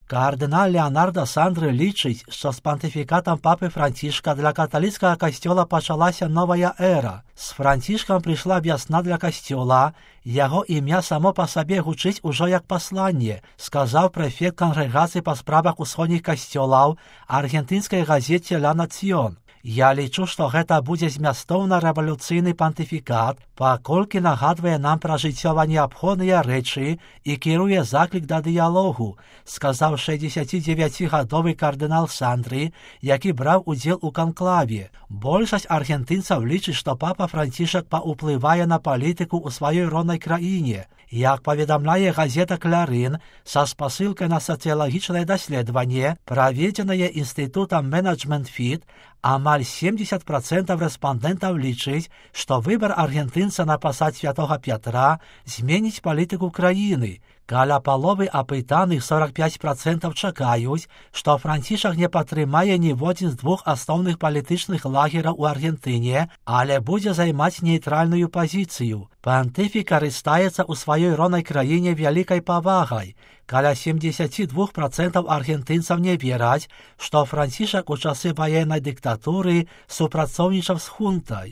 Кардинал Леонардо Сандры лічыць, што з пантыфікатам папы Францішка для каталіцкага касцёла пачалася новая эра. З Францішкам прыйшла вясна для касцёла, яго імя само па сабе гучыць ужо як пасланне, сказаў прэфект кангрэгацыі па справах усходніх касцёлаў аргентынскай газеце «Ла Нацыён». Я лічу, што гэта будзе змястоўна-рэвалюцыйны пантыфікат, паколькі нагадвае нам пра жыццёва неабходныя рэчы і кіруе заклік да дыялогу, сказаў 69-гадовы кардынал Сандры, які браў удзел у канклаве. Большасць аргентынцаў лічыць, што папа Францішак паўплывае на палітыку ў сваёй роднай краіне. Як паведамляе газета «Клярын», са спасылкай на сацыялагічнае даследаванне, праведзенае інстытутам «Менеджмент Фіт», амаль 70% рэспандэнтаў лічыць, што выбар аргентынца на пасад святога Пятра зменіць палітыку краіны. Каля паловы апытаных 45% чакаюць, што Францішак не падтрымае ніводзін з двух асноўных палітычных лагераў у Аргентыне, але будзе займаць нейтральную пазіцыю. Пантыфік карыстаецца ў сваёй роднай краіне вялікай павагай. Каля 72% аргентынцаў не вераць, што Францішак у часы ваеннай дыктатуры супрацоўнічаў з хунтай.